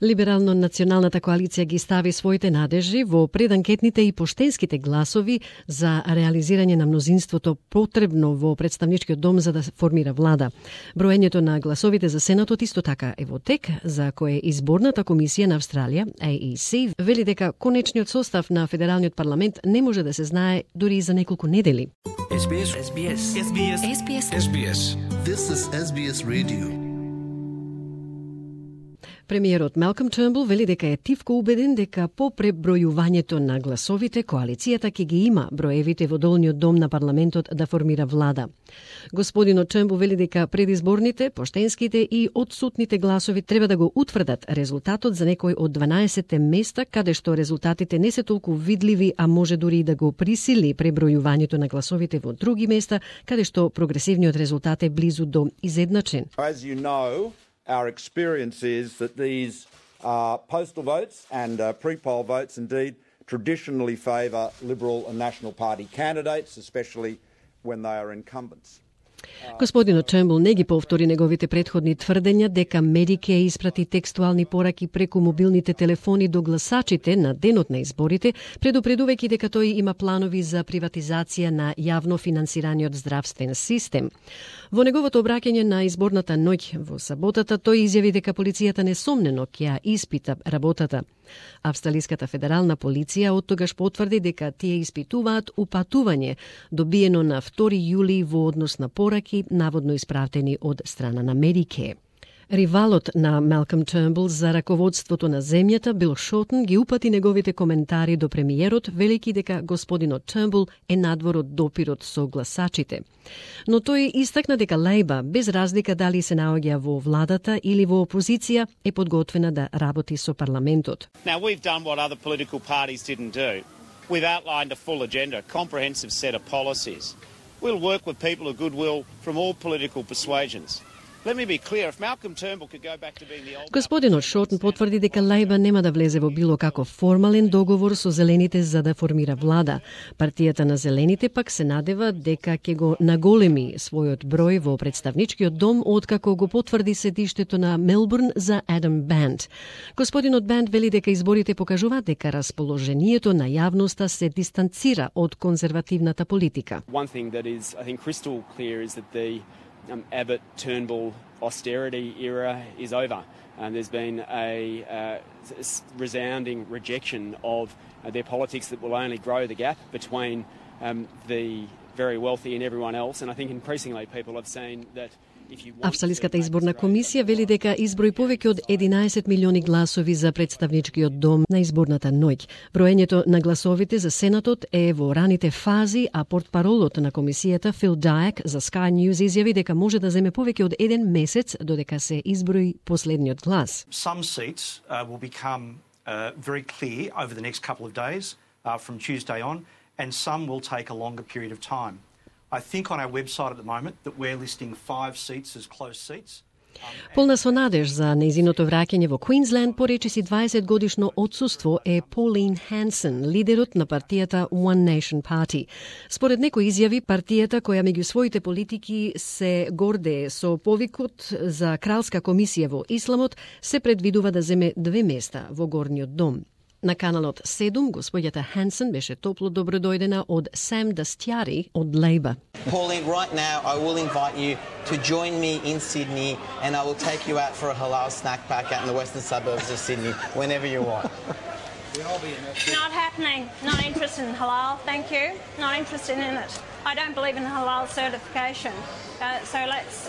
Либерално-националната коалиција ги стави своите надежи во преданкетните и поштенските гласови за реализирање на мнозинството потребно во представничкиот дом за да формира влада. Броењето на гласовите за Сенатот исто така е во тек, за кое изборната комисија на Австралија, AEC, вели дека конечниот состав на федералниот парламент не може да се знае дури и за неколку недели. SBS. This is SBS Radio. Премиерот Малком Тернбул вели дека е тивко убеден дека по пребројувањето на гласовите коалицијата ќе ги има броевите во долниот дом на парламентот да формира влада. Господинот Тернбул вели дека предизборните, поштенските и одсутните гласови треба да го утврдат резултатот за некој од 12 места каде што резултатите не се толку видливи, а може дури и да го присили пребројувањето на гласовите во други места каде што прогресивниот резултат е близу до изедначен. As you know, our experience is that these postal votes and pre-poll votes indeed traditionally favour Liberal and National Party candidates, especially when they are incumbents. Господинот Тернбул не ги повтори неговите претходни тврдења дека Медике испрати текстуални пораки преку мобилните телефони до гласачите на денот на изборите, предупредувајќи дека тој има планови за приватизација на јавно финансираниот здравствен систем. Во неговото обраќање на изборната ноќ во саботата, тој изјави дека полицијата несомнено ќе ја испита работата. Австралиската федерална полиција оттогаш потврди дека тие испитуваат упатување добиено на 2 јули во однос на пораки наводно испратени од страна на Медике. Ривалот на Малком Тернбул за раководството на земјата, Бил Шортон, ги упати неговите коментари до премиерот, велики дека господинот Тернбул е надвор од допирот со гласачите. Но тој истакна дека Лейба, без разлика дали се наоѓа во владата или во опозиција, е подготвена да работи со парламентот. Now we've done what other political parties didn't do. We've outlined a full agenda, a comprehensive set of policies. We'll work with people of goodwill from all political persuasions. Let me be clear, if Malcolm Turnbull could go back to being the old... Господинот Шортон потврди дека Лейба нема да влезе во било каков формален договор со Зелените за да формира влада. Партијата на Зелените пак се надева дека ќе го наголеми својот број во представничкиот дом откако го потврди седиштето на Мелбурн за Адам Банд. Господинот Банд вели дека изборите покажуваат дека расположението на јавноста се дистанцира од конзервативната политика. One thing that is, I think, crystal clear is that the Abbott-Turnbull austerity era is over. There's been a resounding rejection of their politics that will only grow the gap between the very wealthy and everyone else. And I think increasingly people have seen that Австралиската изборна комисија вели дека изброи повеќе од 11 милиони гласови за представничкиот дом на изборната ноќ. Броењето на гласовите за Сенатот е во раните фази, а портпаролот на комисијата Фил Дајак за Sky News изјави дека може да земе повеќе од 1 месец додека се изброи последниот глас. Some seats will become very clear over the next couple of days from Tuesday on, and some will take a longer period of time. I think on our website at the moment that we're listing 5 seats as close seats. Полна со надеж за нејзиното враќање во Квинсленд по речиси 20 годишно отсуство е Pauline Hanson, лидерот на партијата One Nation Party. Според некои изјави, партијата која меѓу своите политики се гордее со повикот за кралска комисија во Исламот, се предвидува да земе 2 места во горниот дом. На каналот 7, господјата Хансен беше топло добродојдена од Сам Дастјари од Лейба. Pauline, right now I will invite you to join me in Sydney and I will take you out for a halal snack pack out in the western suburbs of Sydney whenever you want. Not happening. Not interested in halal, thank you. Not interested in it. I don't believe in halal certification. So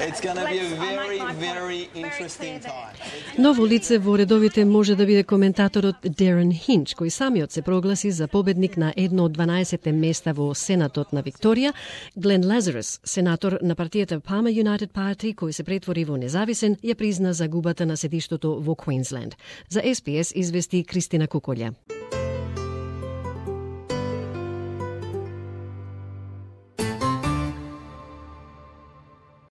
It's going to be a very, very interesting time. Ново лице во редовите може да биде коментаторот Дарен Хинч, кој самиот се прогласи за победник на едно од 12 места во Сенатот на Викторија. Глен Лазарус, сенатор на партијата Palmer United Party, кој се претвори во независен, ја призна загубата на седиштото во Квинсленд. За SBS извести Кристина Куколја.